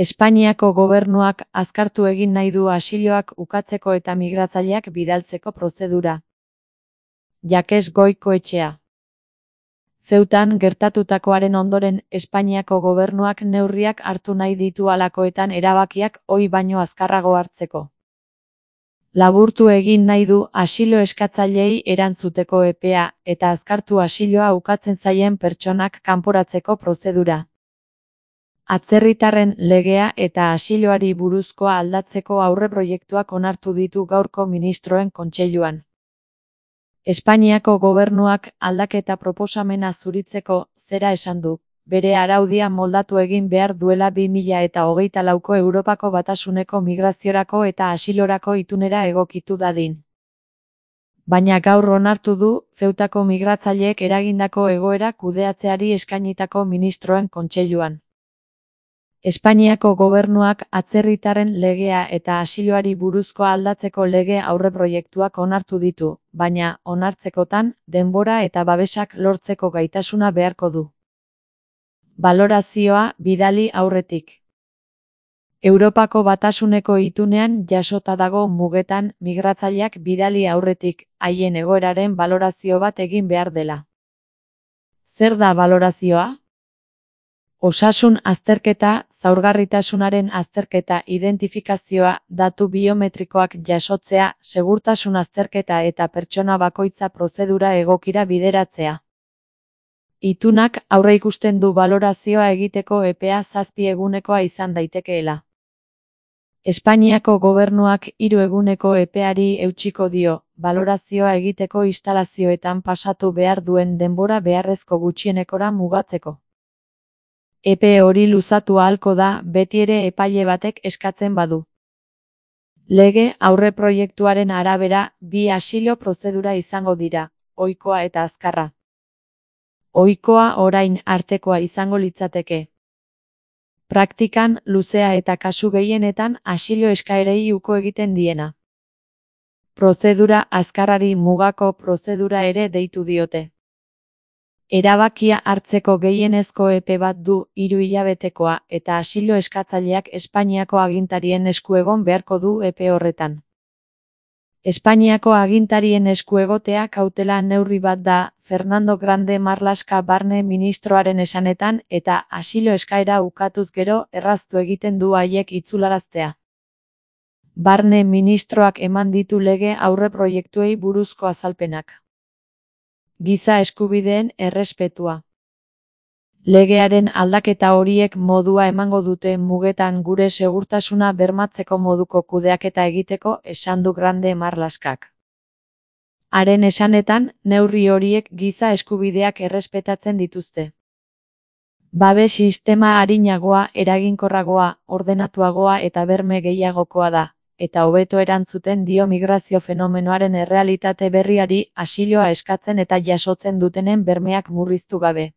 Espainiako gobernuak azkartu egin nahi du asiloak ukatzeko eta migratzaileak bidaltzeko prozedura. Jakes Goikoetxea. Zeutan gertatutakoaren ondoren Espainiako gobernuak neurriak hartu nahi ditu halakoetan erabakiak ohi baino azkarrago hartzeko. Laburtu egin nahi du asilo eskatzaileei erantzuteko epea eta azkartu asiloa ukatzen zaien pertsonak kanporatzeko prozedura. Atzerritarren legea eta asiloari buruzkoa aldatzeko aurreproiektuak onartu ditu gaurko ministroen kontseiluan. Espainiako gobernuak aldaketa proposamena zuritzeko zera esan du, bere araudia moldatu egin behar duela 2024ko Europako Batasuneko migraziorako eta asilorako itunera egokitu dadin. Baina gaur onartu du, Zeutako migratzaileek eragindako egoera kudeatzeari eskainitako ministroen kontseiluan. Espainiako gobernuak atzerritarren legea eta asiloari buruzkoa aldatzeko lege aurreproiektuak onartu ditu, baina, onartzekotan, denbora eta babesak lortzeko gaitasuna beharko du. Balorazioa bidali aurretik. Europako Batasuneko itunean jasota dago mugetan migratzaileak bidali aurretik, haien egoeraren balorazio bat egin behar dela. Zer da balorazioa? Osasun azterketa, zaurgarritasunaren azterketa, identifikazioa, datu biometrikoak jasotzea, segurtasun azterketa eta pertsona bakoitza prozedura egokira bideratzea. Itunak aurreikusten du balorazioa egiteko epea 7 egunekoa izan daitekeela. Espainiako gobernuak 3 eguneko epeari eutsiko dio, balorazioa egiteko instalazioetan pasatu behar duen denbora beharrezko gutxienekora mugatzeko. Epe hori luzatu ahalko da betiere epaile batek eskatzen badu. Lege aurreproiektuaren arabera 2 asilo prozedura izango dira, ohikoa eta azkarra. Ohikoa orain artekoa izango litzateke. Praktikan luzea eta kasu gehienetan asilo eskaerei uko egiten diena. Prozedura azkarrari mugako prozedura ere deitu diote. Erabakia hartzeko gehienezko epe bat du 3 hilabetekoa eta asilo eskatzaileak Espainiako agintarien esku egon beharko du epe horretan. Espainiako agintarien esku egotea kautela neurri bat da, Fernando Grande Marlaska barne ministroaren esanetan eta asilo eskaera ukatuz gero erraztu egiten du haiek itzularaztea. Barne ministroak eman ditu lege aurreproiektuei buruzko azalpenak. Giza eskubideen errespetua. Legearen aldaketa horiek modua emango dute mugetan gure segurtasuna bermatzeko moduko kudeaketa egiteko, esan du Grande Marlaskak. Haren esanetan, neurri horiek giza eskubideak errespetatzen dituzte. Babes sistema arinagoa, eraginkorragoa, ordenatuagoa eta berme gehiagokoa da, eta hobeto erantzuten dio migrazio fenomenoaren errealitate berriari asiloa eskatzen eta jasotzen dutenen bermeak murriztu gabe.